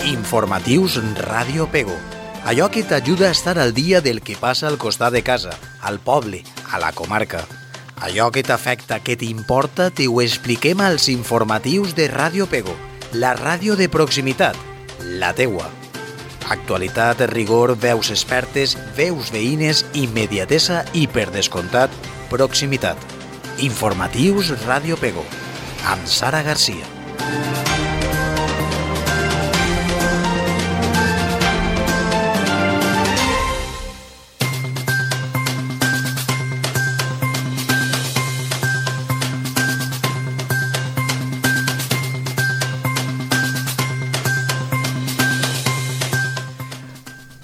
Informatius Ràdio Pego. Allò que t'ajuda a estar al dia del que passa al costat de casa, al poble, a la comarca. Allò que t'afecta, que t'importa, t'ho expliquem als informatius de Ràdio Pego, la ràdio de proximitat, la teua. Actualitat, rigor, veus expertes, veus veïnes, immediatesa i, per descomptat, proximitat. Informatius Ràdio Pego, amb Sara Garcia.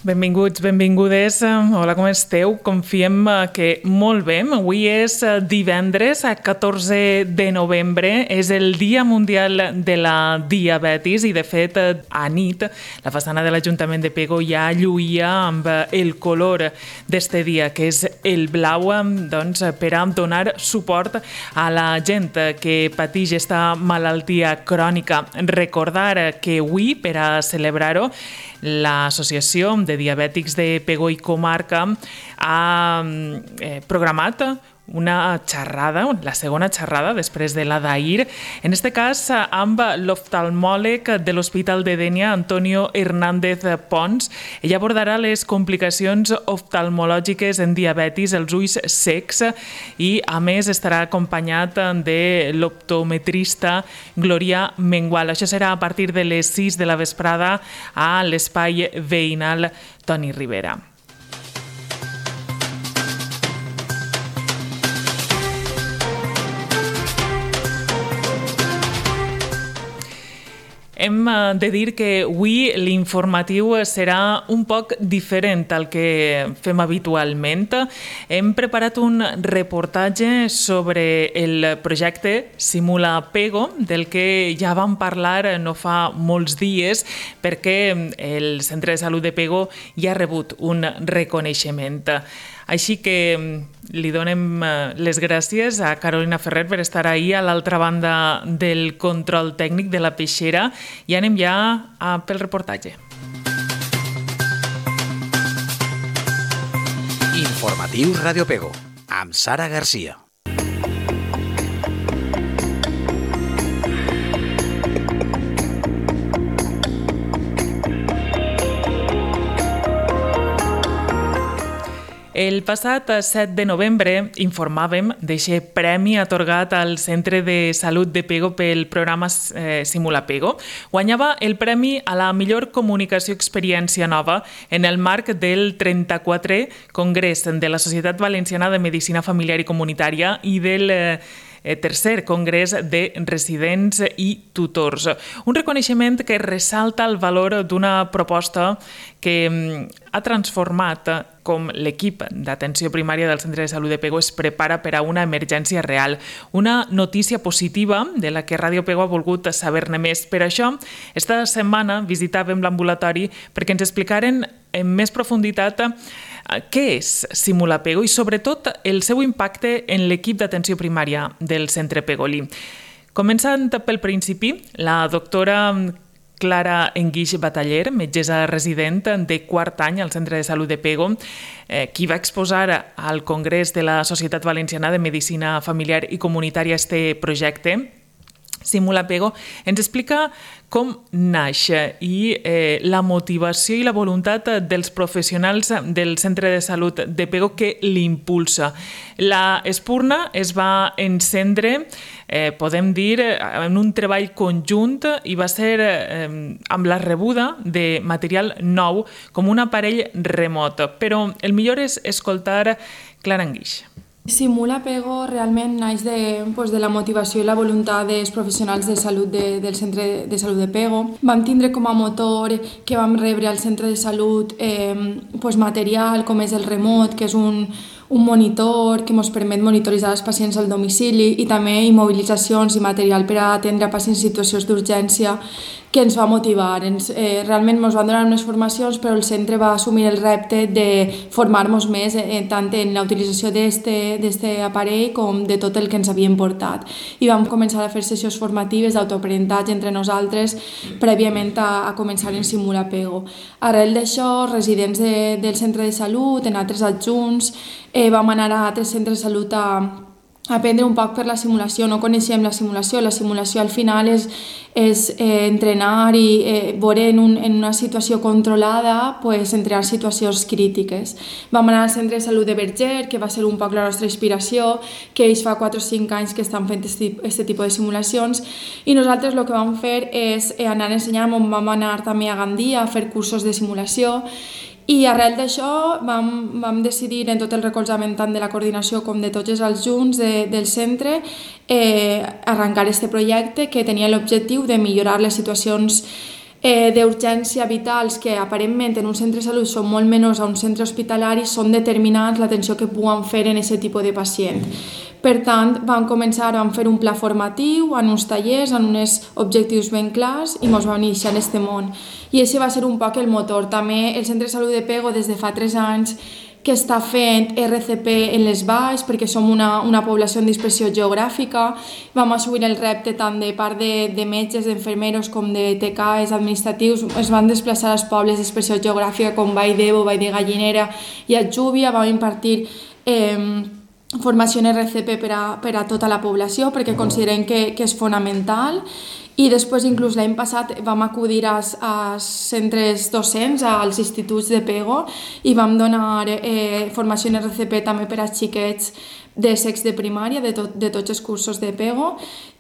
Benvinguts, benvingudes. Hola, com esteu? Confiem que molt bé. Avui és divendres, 14 de novembre. És el Dia Mundial de la Diabetis i, de fet, a nit, la façana de l'Ajuntament de Pego ja lluïa amb el color d'este dia, que és el blau, doncs, per a donar suport a la gent que pateix esta malaltia crònica. Recordar que avui, per a celebrar-ho, l'Associació de Diabètics de Pego i Comarca ha programat una xerrada, la segona xerrada després de la d'ahir, en este cas amb l'oftalmòleg de l'Hospital de Dénia, Antonio Hernández Pons. Ell abordarà les complicacions oftalmològiques en diabetis, els ulls secs, i a més estarà acompanyat de l'optometrista Glòria Mengual. Això serà a partir de les 6 de la vesprada a l'espai veïnal Toni Rivera. Hem de dir que avui l'informatiu serà un poc diferent al que fem habitualment. Hem preparat un reportatge sobre el projecte Simula Pego, del que ja vam parlar no fa molts dies, perquè el Centre de Salut de Pego ja ha rebut un reconeixement. Així que li donem les gràcies a Carolina Ferrer per estar ahir a l'altra banda del control tècnic de la peixera, i anem ja pel reportatge. Informatius Ràdio Pego, amb Sara Garcia. El passat 7 de novembre informàvem d'aquest premi atorgat al Centre de Salut de Pego pel programa Simula Pego. Guanyava el premi a la millor comunicació experiència nova en el marc del 34è Congrés de la Societat Valenciana de Medicina Familiar i Comunitària i del tercer Congrés de Residents i Tutors. Un reconeixement que ressalta el valor d'una proposta que ha transformat com l'equip d'atenció primària del Centre de Salut de Pego es prepara per a una emergència real. Una notícia positiva de la que Ràdio Pego ha volgut saber-ne més. Per això, esta setmana visitàvem l'ambulatori perquè ens explicaren en més profunditat què és Simula Pego i, sobretot, el seu impacte en l'equip d'atenció primària del centre pegolí. Començant pel principi, la doctora Clara Enguix Bataller, metgessa resident de quart any al Centre de Salut de Pego, qui va exposar al Congrés de la Societat Valenciana de Medicina Familiar i Comunitària este projecte, Simula Pego, ens explica com naix i la motivació i la voluntat dels professionals del Centre de Salut de Pego que l'impulsa. La espurna es va encendre, podem dir, en un treball conjunt i va ser amb la rebuda de material nou com un aparell remot. Però el millor és escoltar Clara Enguix. Simula Pego realment naix de la motivació i la voluntat dels professionals de salut del Centre de Salut de Pego. Vam tindre com a motor que vam rebre al Centre de Salut material com és el remot, que és un un monitor que ens permet monitoritzar els pacients al domicili i també immobilitzacions i material per a atendre pacients en situacions d'urgència que ens va motivar. Realment ens van donar unes formacions, però el centre va assumir el repte de formar-nos més tant en la utilització d'aquest aparell com de tot el que ens havien portat. I vam començar a fer sessions formatives d'autoaprenentatge entre nosaltres prèviament a començar en Simulapego. Arrel d'això, residents del centre de salut, en altres adjunts, vam anar a altres centres de salut a aprendre un poc per la simulació. No coneixíem la simulació al final és entrenar i veure en una situació controlada, entrenar situacions crítiques. Vam anar al centre de salut de Verger, que va ser un poc la nostra inspiració, que ells fa 4 o 5 anys que estan fent aquest tipus de simulacions, i nosaltres el que vam fer és anar a ensenyar, vam anar també a Gandia a fer cursos de simulació. I arrel d'això vam decidir, en tot el recolzament tant de la coordinació com de tots els junts del centre, arrencar aquest projecte que tenia l'objectiu de millorar les situacions d'urgència vitals que aparentment en un centre de salut són molt menors a un centre hospitalari, són determinants l'atenció que puguen fer en aquest tipus de pacient. Per tant, vam fer un pla formatiu, en uns tallers, en uns objectius ben clars i ens vam iniciar en aquest món. I aquest va ser un poc el motor. També el Centre de Salut de Pego des de fa 3 anys que està fent RCP en les valls perquè som una població en dispersió geogràfica. Vam assumir el repte tant de part de metges, d'enfermeros com de TCAs administratius. Es van desplaçar als pobles de dispersió geogràfica com Vall d'Ebo, Vall de Gallinera i Atjúbia. Vam impartir formació en RCP per a tota la població perquè considerem que és fonamental. I després, inclús l'any passat, vam acudir als centres docents, als instituts de Pego, i vam donar formació en RCP també per a xiquets de sexe de primària, de tots els cursos de Pego,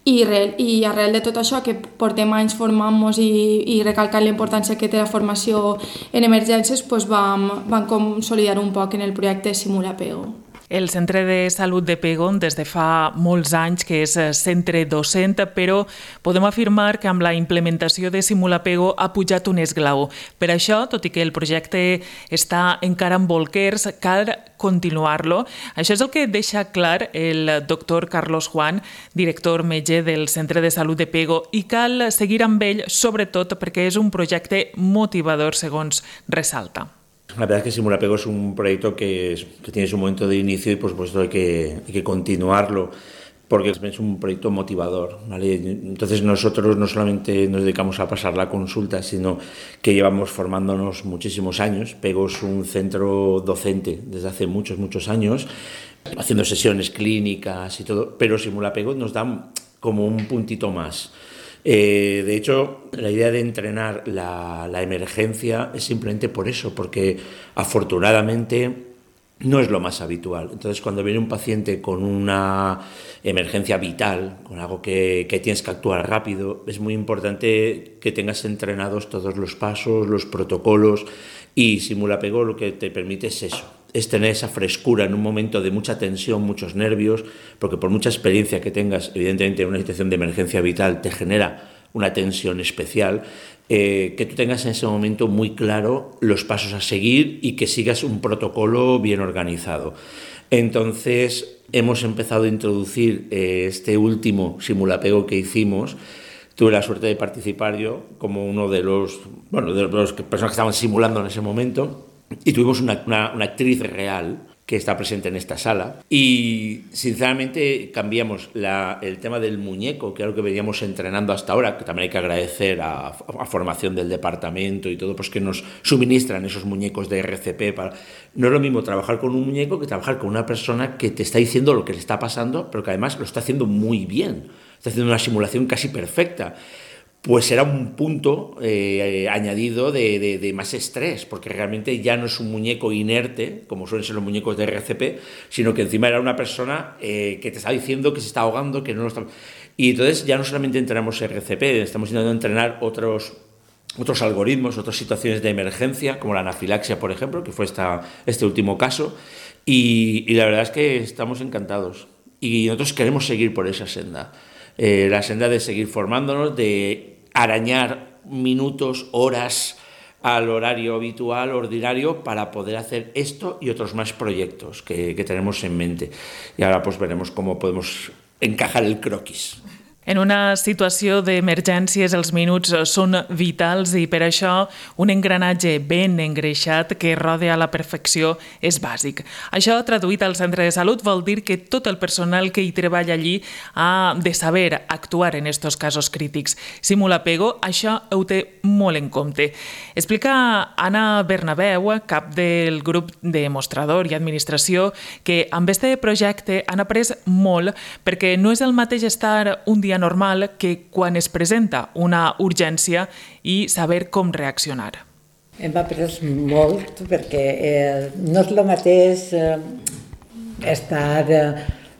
i arrel de tot això, que portem anys formant-nos i recalcant la importància que té la formació en emergències, vam consolidar un poc en el projecte Simulapego. El Centre de Salut de Pego des de fa molts anys que és centre docent, però podem afirmar que amb la implementació de Simulapego ha pujat un esglaó. Per això, tot i que el projecte està encara en bolquers, cal continuar-lo. Això és el que deixa clar el doctor Carlos Juan, director metge del Centre de Salut de Pego, i cal seguir amb ell, sobretot perquè és un projecte motivador, segons ressalta. La verdad es que Simulapego es un proyecto que tiene su momento de inicio y por supuesto hay que continuarlo porque es un proyecto motivador, ¿vale? Entonces nosotros no solamente nos dedicamos a pasar la consulta, sino que llevamos formándonos muchísimos años. Pego es un centro docente desde hace muchos años, haciendo sesiones clínicas y todo, pero Simulapego nos da como un puntito más. De hecho, la idea de entrenar la emergencia es simplemente por eso, porque afortunadamente no es lo más habitual. Entonces, cuando viene un paciente con una emergencia vital, con algo que tienes que actuar rápido, es muy importante que tengas entrenados todos los pasos, los protocolos, y Simulapego lo que te permite es eso. Es tener esa frescura en un momento de mucha tensión, muchos nervios, porque por mucha experiencia que tengas, evidentemente en una situación de emergencia vital te genera una tensión especial, que tú tengas en ese momento muy claro los pasos a seguir y que sigas un protocolo bien organizado. Entonces hemos empezado a introducir este último Simulapego que hicimos. Tuve la suerte de participar yo como uno de los personas que estaban simulando en ese momento. Y tuvimos una actriz real que está presente en esta sala y sinceramente cambiamos el tema del muñeco, que era lo que veníamos entrenando hasta ahora, que también hay que agradecer a formación del departamento y todo, pues que nos suministran esos muñecos de RCP. No es lo mismo trabajar con un muñeco que trabajar con una persona que te está diciendo lo que le está pasando, pero que además lo está haciendo muy bien, está haciendo una simulación casi perfecta. Pues era un punto añadido de más estrés, porque realmente ya no es un muñeco inerte, como suelen ser los muñecos de RCP, sino que encima era una persona que te está diciendo que se está ahogando, que no lo está... Y entonces ya no solamente entrenamos RCP, estamos intentando entrenar otros algoritmos, otras situaciones de emergencia, como la anafilaxia, por ejemplo, que fue este último caso, y la verdad es que estamos encantados. Y nosotros queremos seguir por esa senda, la senda de seguir formándonos, de arañar minutos, horas al horario habitual, ordinario, para poder hacer esto y otros más proyectos que tenemos en mente. Y ahora pues veremos cómo podemos encajar el croquis. En una situació d'emergències els minuts són vitals i per això un engranatge ben engreixat que roda a la perfecció és bàsic. Això, traduït al centre de salut, vol dir que tot el personal que hi treballa allí ha de saber actuar en estos casos crítics. Simulapego això ho té molt en compte. Explica Anna Bernabeu, cap del grup de mostrador i administració, que amb este projecte han après molt perquè no és el mateix estar un dia normal que quan es presenta una urgència i saber com reaccionar. Hem après molt perquè no és el mateix estar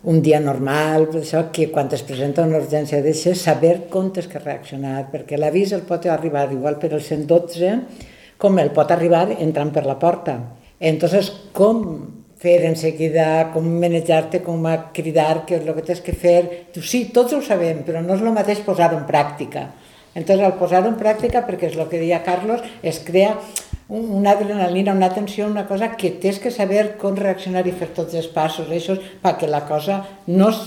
un dia normal, per això que quan es presenta una urgència deixa saber com tens que reaccionar, perquè l'avís el pot arribar igual per el 112 com el pot arribar entrant per la porta. Entonces, com fer en seguida, com manejar-te, com cridar, què és el que tens que fer. Sí, tots ho sabem, però no és el mateix posar-ho en pràctica. Entonces, al posar-ho en pràctica, perquè és el que deia Carlos, es crea una adrenalina, una tensió, una cosa que tens que saber com reaccionar i fer tots els passos, això, perquè la cosa no es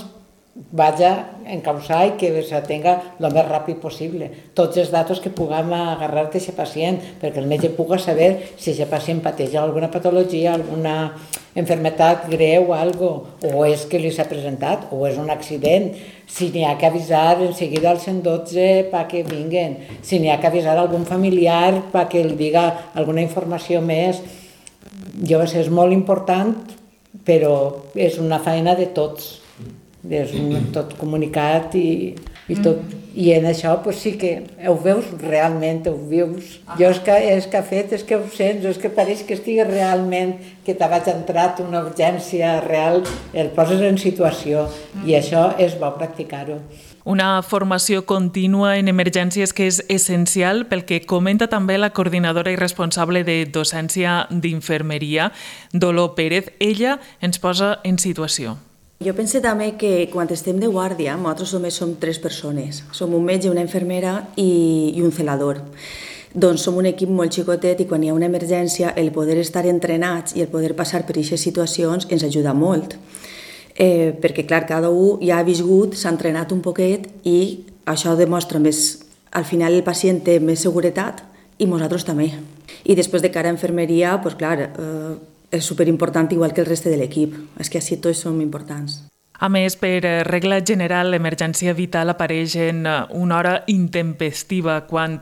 vaya a encausar i que se tenga el més ràpid possible. Tots els datos que puguem agarrar d'aquest pacient, perquè el metge pugui saber si aquest pacient pateix alguna patologia, alguna enfermetat greu, o és que li s'ha presentat, o és un accident, si n'hi ha que avisar en seguida al 112 perquè vinguen, si n'hi ha que avisar algun familiar perquè li diga alguna informació més. Jo sé, és molt important, però és una feina de tots. És tot comunicat i tot. I en això sí que ho veus realment, ho vius. Jo és que he fet, és que ho sents, és que pareix que estigui realment, que t'has entrat una urgència real, el poses en situació i això és bo practicar-ho. Una formació contínua en emergències que és essencial pel que comenta també la coordinadora i responsable de docència d'infermeria, Dolor Pérez. Ella ens posa en situació. Jo penso també que quan estem de guàrdia, nosaltres només som 3 persones. Som un metge, una infermera i un celador. Doncs som un equip molt xicotet i quan hi ha una emergència el poder estar entrenats i el poder passar per aquestes situacions ens ajuda molt. Perquè clar, cada un ja ha viscut, s'ha entrenat un poquet i això demostra més, al final el pacient té més seguretat i nosaltres també. I després de cara a infermeria, doncs clar, és superimportant igual que el reste de l'equip. És que així tots som importants. A més, per regla general, l'emergència vital apareix en una hora intempestiva, quan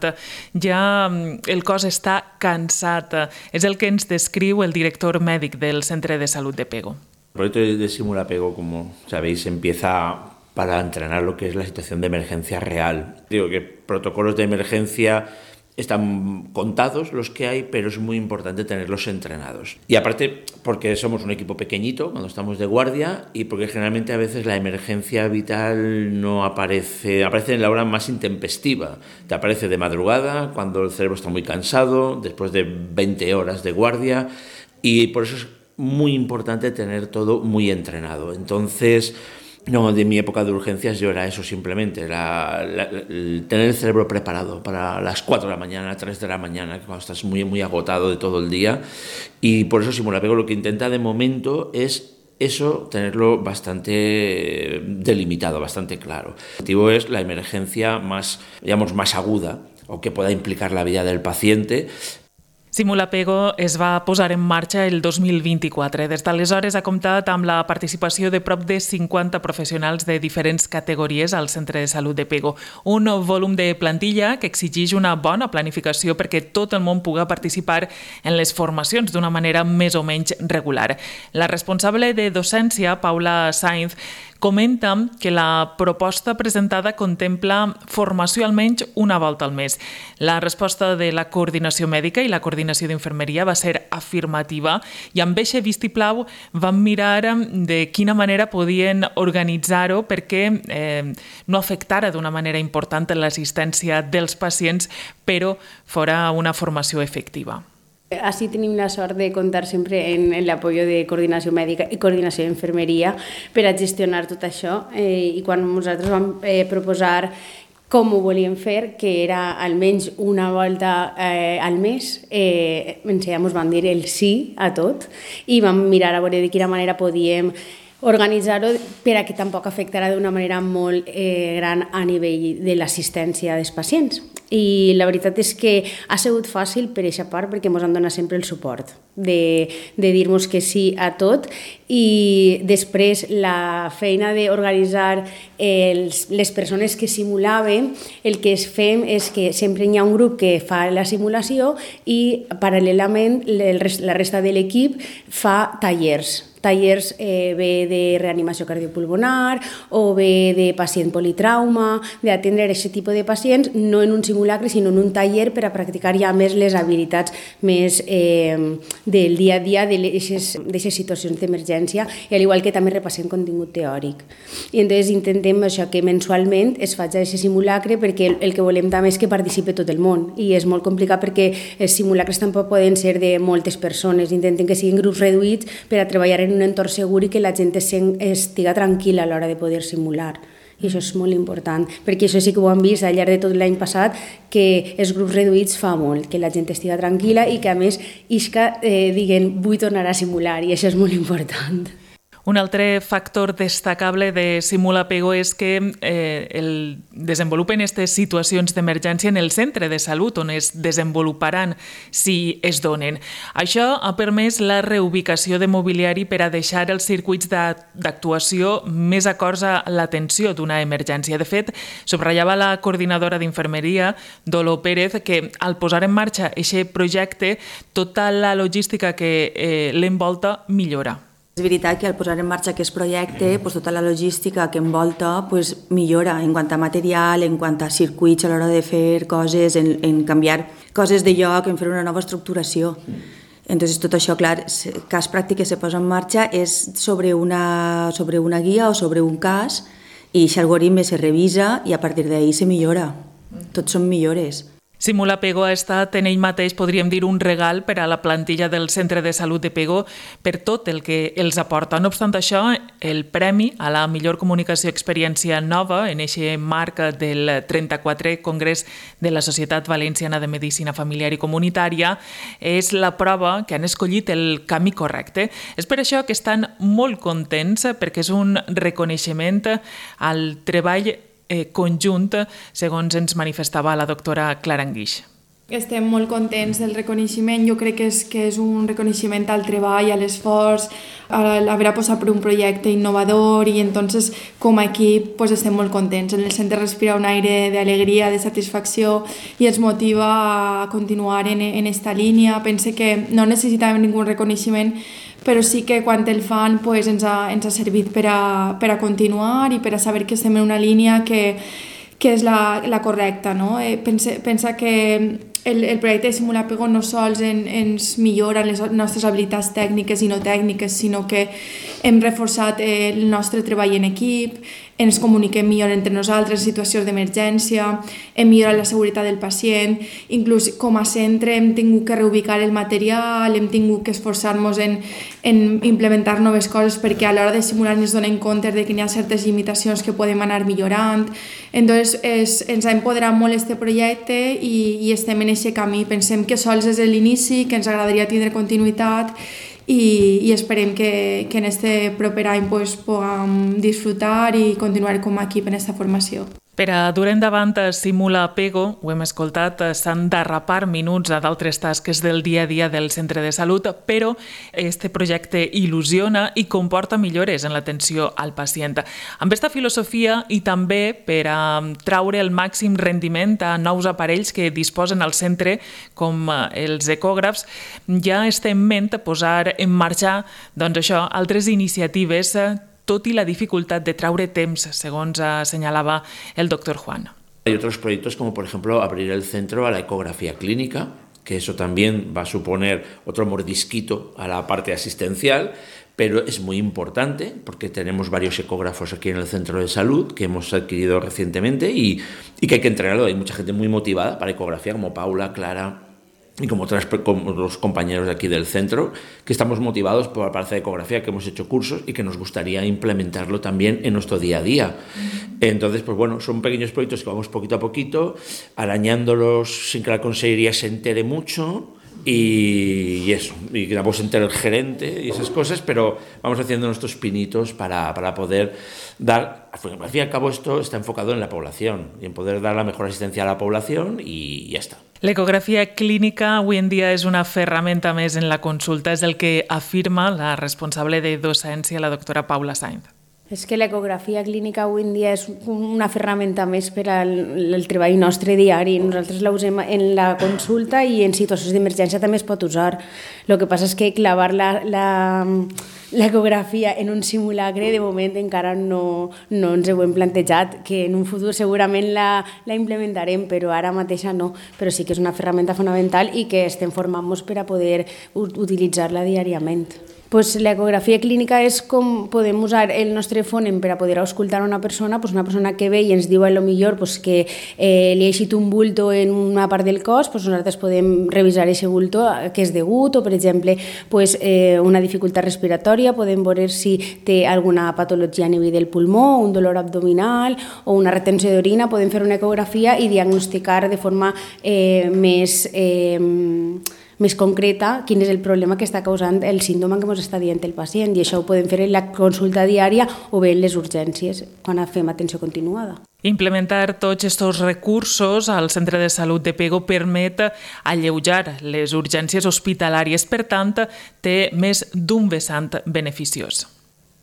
ja el cos està cansat. És el que ens descriu el director mèdic del Centre de Salut de Pego. El proyecto de Simulapego, como sabéis, empieza para entrenar lo que es la situación de emergencia real. Digo que protocolos de emergencia están contados los que hay, pero es muy importante tenerlos entrenados. Y aparte, porque somos un equipo pequeñito cuando estamos de guardia y porque generalmente a veces la emergencia vital no aparece en la hora más intempestiva. Te aparece de madrugada, cuando el cerebro está muy cansado, después de 20 horas de guardia, y por eso es muy importante tener todo muy entrenado. Entonces, no, de mi época de urgencias yo era eso simplemente, era tener el cerebro preparado para las 4 de la mañana, 3 de la mañana, cuando estás muy, muy agotado de todo el día. Y por eso Simulapego lo que intenta de momento es eso, tenerlo bastante delimitado, bastante claro. El objetivo es la emergencia más, digamos, más aguda o que pueda implicar la vida del paciente. Simulapego es va posar en marxa el 2024. Des d'aleshores ha comptat amb la participació de prop de 50 professionals de diferents categories al Centre de Salut de Pego. Un volum de plantilla que exigeix una bona planificació perquè tot el món pugui participar en les formacions d'una manera més o menys regular. La responsable de docència, Paula Sainz, comenta que la proposta presentada contempla formació almenys una volta al mes. La resposta de la coordinació mèdica i la coordinació d'infermeria va ser afirmativa i amb eixe vistiplau van mirar de quina manera podien organitzar-ho perquè no afectara d'una manera important l'assistència dels pacients, però fora una formació efectiva. Así tenim la sort de comptar sempre en l'apoyo de coordinació mèdica i coordinació d'infermeria per a gestionar tot això i quan nosaltres vam proposar com ho volíem fer, que era almenys una volta al mes. Ja ens van dir el sí a tot i vam mirar a veure de quina manera podíem organitzar-ho per a que tampoc afectarà d'una manera molt gran a nivell de l'assistència dels pacients. I la veritat és que ha sigut fàcil per aquesta part perquè ens han donat sempre el suport de dir-nos que sí a tot i després la feina d'organitzar les persones que simulaven, el que fem és que sempre hi ha un grup que fa la simulació i paral·lelament la resta de l'equip fa tallers bé de reanimació cardiopulmonar o bé de pacient politrauma, d'atendre aquest tipus de pacients, no en un simulacre, sinó en un taller per a practicar ja més les habilitats més del dia a dia d'aquestes situacions d'emergència, i al igual que també repassem contingut teòric. I entonces intentem això, que mensualment es faci aquest simulacre, perquè el que volem també és que participi tot el món, i és molt complicat perquè els simulacres tampoc poden ser de moltes persones, intentem que siguin grups reduïts per a treballar en un entorn segur i que la gent estiga tranquil·la a l'hora de poder simular. I això és molt important, perquè això sí que ho hem vist al llarg de tot l'any passat, que els grups reduïts fa molt, que la gent estiga tranquil·la i que a més diguen vull tornar a simular, i això és molt important. Un altre factor destacable de Simulapego és que el desenvolupen aquestes situacions d'emergència en el centre de salut on es desenvoluparan si es donen. Això ha permès la reubicació de mobiliari per a deixar els circuits d'actuació més acords a l'atenció d'una emergència. De fet, subratllava la coordinadora d'infermeria, Dolo Pérez, que al posar en marxa aquest projecte, tota la logística que l'envolta millora. És veritat que al posar en marxa aquest projecte, tota la logística que envolta millora en quant a material, en quant a circuits a l'hora de fer coses, en canviar coses de lloc, en fer una nova estructuració. Entonces, tot això, clar, cas pràctic que se posa en marxa és sobre una guia o sobre un cas, i aquest algoritme se revisa i a partir d'ahí se millora. Tots són millores. Simulapego ha estat en ell mateix, podríem dir, un regal per a la plantilla del Centre de Salut de Pego per tot el que els aporta. No obstant això, el premi a la millor comunicació i experiència nova en aquest marc del 34è Congrés de la Societat Valenciana de Medicina Familiar i Comunitària és la prova que han escollit el camí correcte. És per això que estan molt contents, perquè és un reconeixement al treball conjunt, segons ens manifestava la doctora Clara Anguix. Estem molt contents del reconeixement. Jo crec que és un reconeixement al treball, a l'esforç, a haver apostat per un projecte innovador, i entonces com a equip estem molt contents. En el centre respira un aire d'alegria, de satisfacció, i ens motiva a continuar en esta línia. Pense que no necessitàvem ningú reconeixement, però sí que quan el fan ens ha servit per a continuar i per a saber que estem en una línia que és la correcta. No? Pensa que el projecte de Simulapego no sols ens millora les nostres habilitats tècniques i no tècniques, sinó que hem reforçat el nostre treball en equip, ens comuniquem millor entre nosaltres en situacions d'emergència, hem millorat la seguretat del pacient, inclús com a centre hem tingut que reubicar el material, hem tingut que esforçar-nos en implementar noves coses, perquè a l'hora de simular ens donem compte de que hi ha certes limitacions que podem anar millorant. Entonces ens ha empoderat molt aquest projecte i estem en aquest camí. Pensem que sols és l'inici, que ens agradaria tindre continuïtat, i esperem que en este proper any puguem disfrutar i continuar com a equip en aquesta formació. Per a dur endavant Simulapego, ho hem escoltat, s'han d'arrapar minuts a d'altres tasques del dia a dia del centre de salut, però este projecte il·lusiona i comporta millores en l'atenció al pacient. Amb aquesta filosofia i també per a traure el màxim rendiment a nous aparells que disposen al centre, com els ecògrafs, ja està en ment posar en marxa altres iniciatives, tot y la dificultad de traure temps, según señalaba el doctor Juan. Hay otros proyectos como, por ejemplo, abrir el centro a la ecografía clínica, que eso también va a suponer otro mordisquito a la parte asistencial, pero es muy importante porque tenemos varios ecógrafos aquí en el centro de salud que hemos adquirido recientemente y que hay que entrenarlo. Hay mucha gente muy motivada para ecografía, como Paula, Clara y como los compañeros de aquí del centro, que estamos motivados por la parte de ecografía, que hemos hecho cursos y que nos gustaría implementarlo también en nuestro día a día. Entonces, pues bueno, son pequeños proyectos que vamos poquito a poquito, arañándolos sin que la consejería se entere mucho y eso, y que tampoco se entere el gerente y esas cosas, pero vamos haciendo nuestros pinitos para poder dar, al fin y al cabo esto está enfocado en la población y en poder dar la mejor asistencia a la población y ya está. L'ecografia clínica avui en dia és una ferramenta més en la consulta, és el que afirma la responsable de docència, la doctora Paula Sainz. És que l'ecografia clínica avui en dia és una ferramenta més per al treball nostre diari. Nosaltres la usem en la consulta i en situacions d'emergència també es pot usar. El que passa és que clavar l'ecografia en un simulacre de moment encara no ens ho hem plantejat, que en un futur segurament la implementarem, però ara mateixa no. Però sí que és una ferramenta fonamental i que estem formant-nos per a poder utilitzar-la diàriament. Pues l'ecografia clínica és com podem usar el nostre fònem per a poder auscultar una persona que ve i ens diu a lo millor que li ha eixit un bulto en una part del cos, nosaltres podem revisar aquest bulto que és degut, o per exemple una dificultat respiratòria, podem veure si té alguna patologia a nivell del pulmó, un dolor abdominal o una retenció d'orina, podem fer una ecografia i diagnosticar de forma més concreta quin és el problema que està causant el símptoma que ens està dient el pacient, i això ho podem fer en la consulta diària o bé en les urgències quan fem atenció continuada. Implementar tots aquests recursos al centre de salut de Pego permet alleujar les urgències hospitalàries, per tant, té més d'un vessant beneficiós.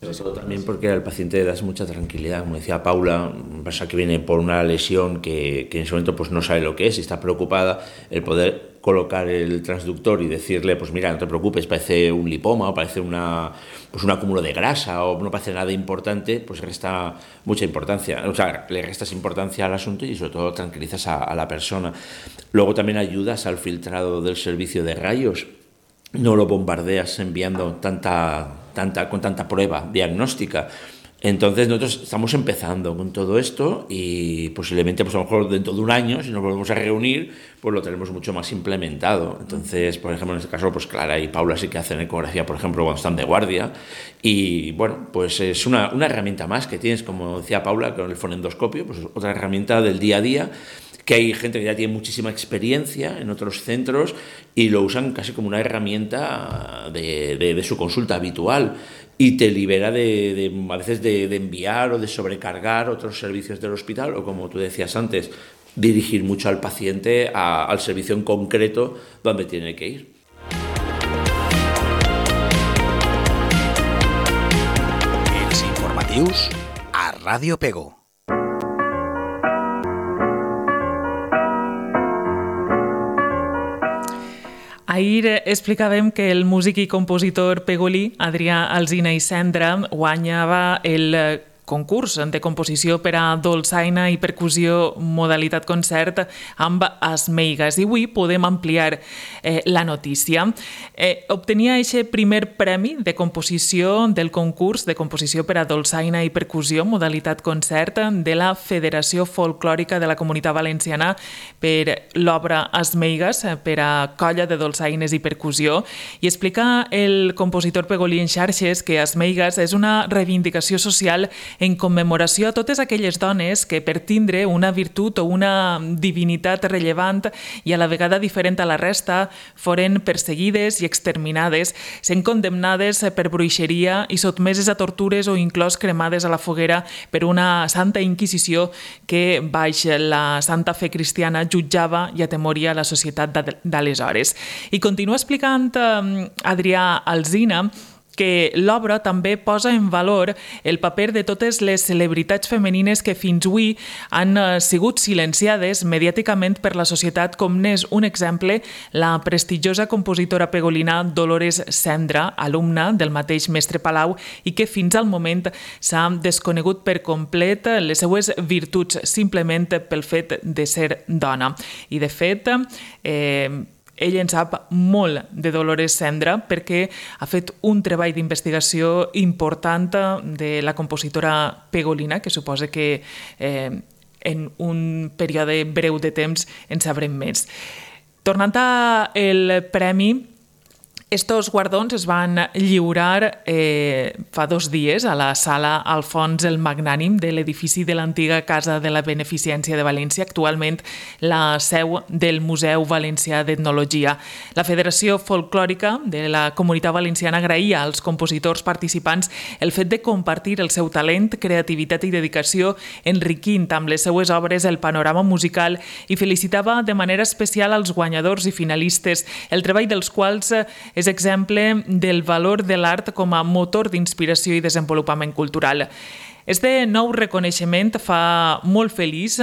Sobre todo también porque al paciente le das mucha tranquilidad, como decía Paula, pasa que viene por una lesión que en ese momento no sabe lo que es y está preocupada, el poder colocar el transductor y decirle, pues mira, no te preocupes, parece un lipoma o parece un acúmulo de grasa o no parece nada importante, pues resta mucha importancia, o sea, le restas importancia al asunto y sobre todo tranquilizas a la persona. Luego también ayudas al filtrado del servicio de rayos, no lo bombardeas enviando con tanta prueba diagnóstica. Entonces nosotros estamos empezando con todo esto y posiblemente a lo mejor dentro de un año, si nos volvemos a reunir, pues lo tenemos mucho más implementado. Entonces, por ejemplo, en este caso, pues Clara y Paula sí que hacen ecografía, por ejemplo, cuando están de guardia, y bueno, pues es una herramienta más que tienes, como decía Paula, con el fonendoscopio, pues otra herramienta del día a día, que hay gente que ya tiene muchísima experiencia en otros centros y lo usan casi como una herramienta de su consulta habitual y te libera a veces de enviar o de sobrecargar otros servicios del hospital o, como tú decías antes, dirigir mucho al paciente al servicio en concreto donde tiene que ir. Els informatius a Ràdio Pego. Ahir explicàvem que el músic i compositor pegolí Adrià Alsina i Cendra guanyava el concurs de composició per a dolçaina i percussió modalitat concert amb Esmeigas. I avui podem ampliar la notícia. Obtenia aquest primer premi de composició del concurs de composició per a dolçaina i percussió modalitat concert de la Federació Folclòrica de la Comunitat Valenciana per l'obra Esmeigas per a colla de dolçaines i percussió, i explica el compositor pegolí en xarxes que Esmeigas és una reivindicació social en commemoració a totes aquelles dones que, per tindre una virtut o una divinitat rellevant i a la vegada diferent a la resta, foren perseguides i exterminades, sent condemnades per bruixeria i sotmeses a tortures o inclòs cremades a la foguera per una santa inquisició que, baix la santa fe cristiana, jutjava i atemoria la societat d'aleshores. I continua explicant Adrià Alsina que l'obra també posa en valor el paper de totes les celebritats femenines que fins avui han sigut silenciades mediàticament per la societat, com n'és un exemple la prestigiosa compositora pegolina Dolores Cendra, alumna del mateix mestre Palau, i que fins al moment s'ha desconegut per complet les seues virtuts simplement pel fet de ser dona. I de fet, ell en sap molt de Dolores Cendra perquè ha fet un treball d'investigació important de la compositora pegolina, que suposa que en un període breu de temps en sabrem més. Tornant al premi, Estos guardons es van lliurar fa 2 dies a la sala Alfons el Magnànim de l'edifici de l'antiga Casa de la Beneficència de València, actualment la seu del Museu Valencià d'Etnologia. La Federació Folclòrica de la Comunitat Valenciana agraïa als compositors participants el fet de compartir el seu talent, creativitat i dedicació, enriquint amb les seues obres el panorama musical i felicitava de manera especial als guanyadors i finalistes, el treball dels quals és exemple del valor de l'art com a motor d'inspiració i desenvolupament cultural. Este nou reconeixement fa molt feliç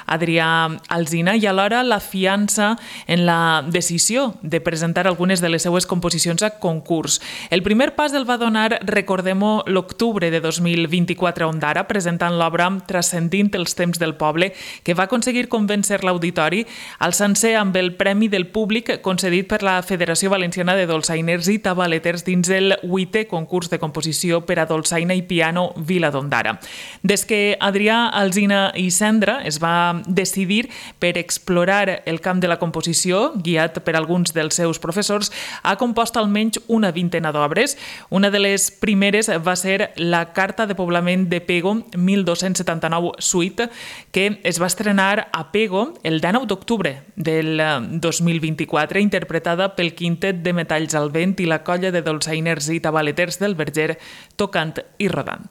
Adrià Alsina i alhora la fiança en la decisió de presentar algunes de les seues composicions a concurs. El primer pas el va donar, recordem-ho, l'octubre de 2024 a Ondara, presentant l'obra Transcendint els temps del poble, que va aconseguir convèncer l'auditori, alçant-se amb el Premi del Públic concedit per la Federació Valenciana de Dolçainers i Tabaleters dins el 8è concurs de composició per a dolçaina i piano Vila d'Ondara. Des que Adrià Alsina i Cendra es va decidir per explorar el camp de la composició, guiat per alguns dels seus professors, ha compost almenys una vintena d'obres. Una de les primeres va ser la Carta de Poblament de Pego 1279 Suite, que es va estrenar a Pego el 19 d'octubre del 2024, interpretada pel Quintet de Metalls al Vent i la colla de dolçainers i tabaleters del Verger, tocant i rodant.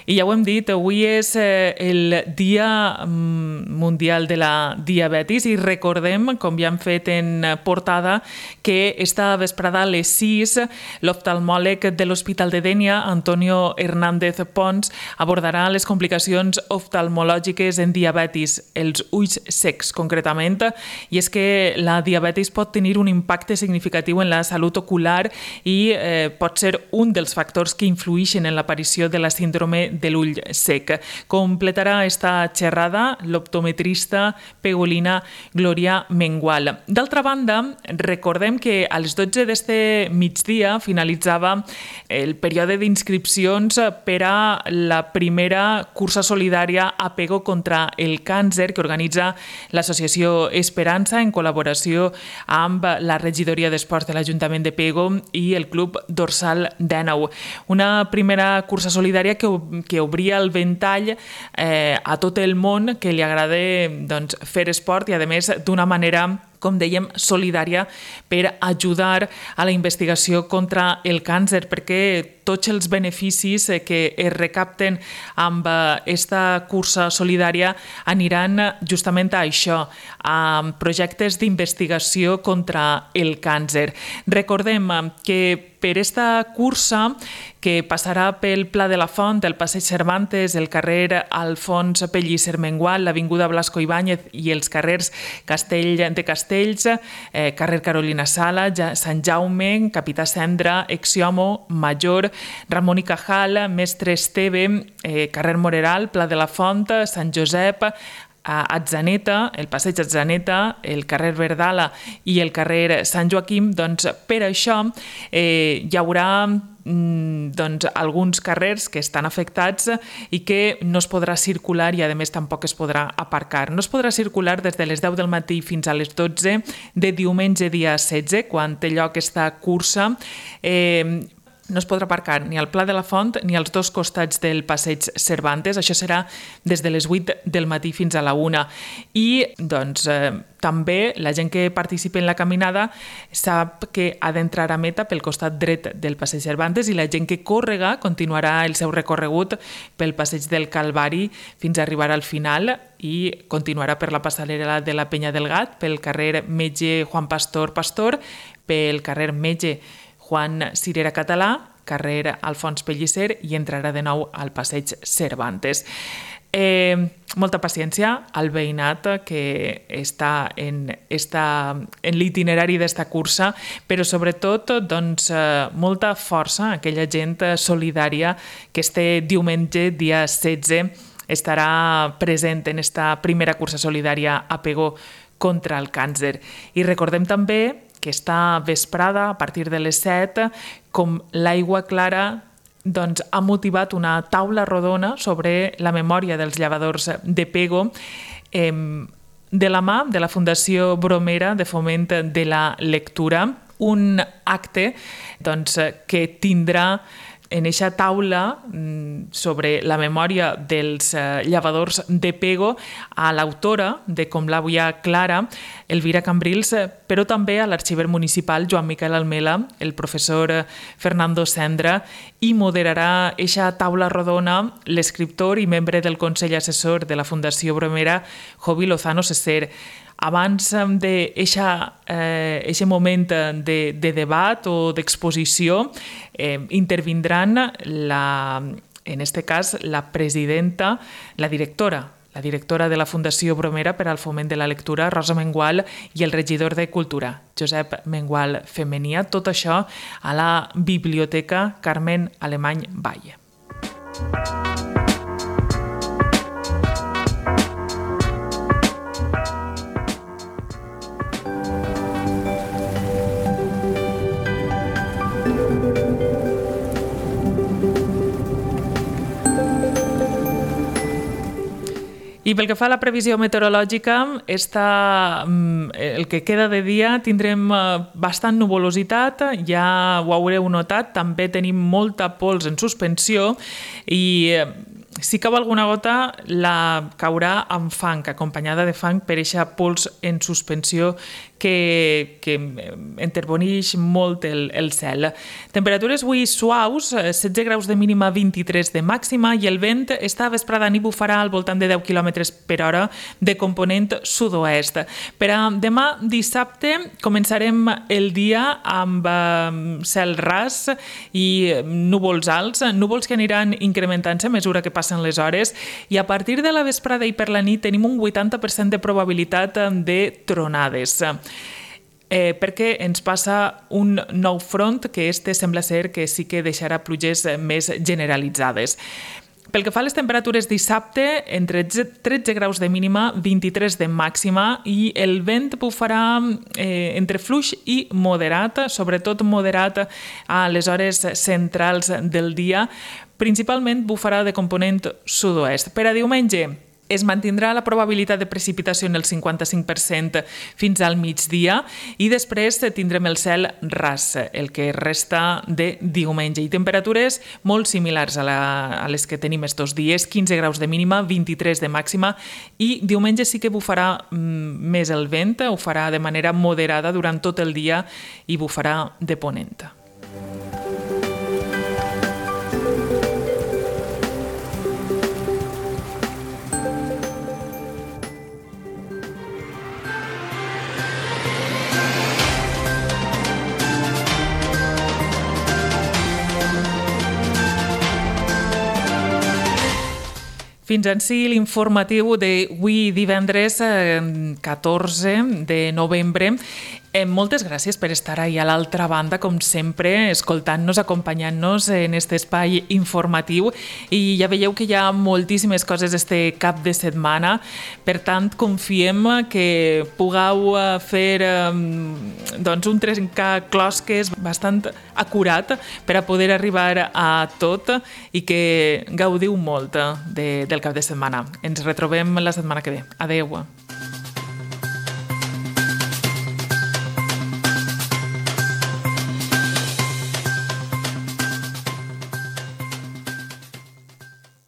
I ja ho hem dit, avui és el Dia Mundial de la Diabetis i recordem, com ja hem fet en portada, que esta vesprada a les 6 l'oftalmòleg de l'Hospital de Dénia, Antonio Hernández Pons, abordarà les complicacions oftalmològiques en diabetis, els ulls secs concretament, i és que la diabetis pot tenir un impacte significatiu en la salut ocular i pot ser un dels factors que influïxen en l'aparició de la síndrome de l'ull sec. Completarà esta xerrada l'optometrista pegolina Glòria Mengual. D'altra banda, recordem que a les 12 d'este migdia finalitzava el període d'inscripcions per a la primera cursa solidària a Pego contra el càncer que organitza l'associació Esperança en col·laboració amb la regidoria d'esports de l'Ajuntament de Pego i el Club Dorsal 19. Una primera cursa solidària que obria el ventall a tot el món que li agrada fer esport i, a més, d'una manera, com dèiem, solidària per ajudar a la investigació contra el càncer, perquè tots els beneficis que es recapten amb aquesta cursa solidària aniran justament a això, a projectes d'investigació contra el càncer. Recordem que per esta cursa, que passarà pel Pla de la Font, el Passeig Cervantes, el carrer Alfons Pellicer Mengual, l'Avinguda Blasco Ibáñez i els carrers Castell de Castells, carrer Carolina Sala, Sant Jaume, Capità Cendra, Exiomo, Major, Ramon i Cajal, Mestre Esteve, carrer Moreral, Pla de la Font, Sant Josep, a Atzaneta, el passeig Atzaneta, el carrer Verdala i el carrer Sant Joaquim. Doncs per això hi haurà alguns carrers que estan afectats i que no es podrà circular i a més tampoc es podrà aparcar. No es podrà circular des de les 10 del matí fins a les 12 de diumenge dia 16, quan té lloc aquesta cursa. No es podrà aparcar ni al Pla de la Font ni als dos costats del Passeig Cervantes. Això serà des de les 8 del matí fins a la 1. I també la gent que participa en la caminada sap que ha d'entrar a meta pel costat dret del Passeig Cervantes i la gent que córrega continuarà el seu recorregut pel Passeig del Calvari fins a arribar al final i continuarà per la passarel·la de la Penya del Gat, pel carrer Metge Juan Pastor Pastor, pel carrer Metge Juan Cirera Català, carrer Alfons Pellicer i entrarà de nou al Passeig Cervantes. Molta paciència al veïnat que està en l'itinerari d'esta cursa, però sobretot molta força a aquella gent solidària que este diumenge, dia 16, estarà present en esta primera cursa solidària a Pego contra el càncer. I recordem també que esta vesprada, a partir de les 7, com l'aigua clara ha motivat una taula rodona sobre la memòria dels llevadors de Pego de la mà de la Fundació Bromera de Foment de la Lectura, un acte que tindrà en eixa taula sobre la memòria dels llevadors de Pego a l'autora de Com l'àvia Clara, Elvira Cambrils, però també a l'arxiver municipal Joan Miquel Almela, el professor Fernando Sendra, i moderarà eixa taula rodona l'escriptor i membre del Consell Assessor de la Fundació Bromera, Jovi Lozano Seser. Abans d'aquest moment de debat o d'exposició, intervindran, en aquest cas, la presidenta, la directora de la Fundació Bromera per al Foment de la Lectura, Rosa Mengual, i el regidor de Cultura, Josep Mengual Femenia. Tot això a la Biblioteca Carmen Alemany Valle. I pel que fa a la previsió meteorològica, el que queda de dia tindrem bastant nuvolositat, ja ho haureu notat, també tenim molta pols en suspensió i si cau alguna gota la caurà amb fang, acompanyada de fang per eixa pols en suspensió que enterbonix molt el cel. Temperatures avui suaus, 16 graus de mínima, 23 de màxima, i el vent esta vesprada nit bufarà al voltant de 10 km per hora de component sud-oest. Per a demà dissabte començarem el dia amb cel ras i núvols alts, núvols que aniran incrementant-se a mesura que passen les hores, i a partir de la vesprada i per la nit tenim un 80% de probabilitat de tronades. Perquè ens passa un nou front que sembla ser que sí que deixarà pluges més generalitzades. Pel que fa a les temperatures dissabte, entre 13 graus de mínima, 23 de màxima, i el vent bufarà entre fluix i moderat, sobretot moderat a les hores centrals del dia. Principalment bufarà de component sud-oest. Per a diumenge es mantindrà la probabilitat de precipitació en el 55% fins al migdia i després tindrem el cel ras, el que resta de diumenge. I temperatures molt similars a les que tenim estos dies, 15 graus de mínima, 23 de màxima, i diumenge sí que bufarà més el vent, ho farà de manera moderada durant tot el dia i bufarà de ponent. Fins ací l'informatiu d'avui divendres 14 de novembre. Moltes gràcies per estar ahí a l'altra banda, com sempre, escoltant-nos, acompanyant-nos en aquest espai informatiu. I ja veieu que hi ha moltíssimes coses este cap de setmana. Per tant, confiem que pugueu fer un trencaclosques bastant acurat per a poder arribar a tot i que gaudiu molt del cap de setmana. Ens retrobem la setmana que ve. Adeu.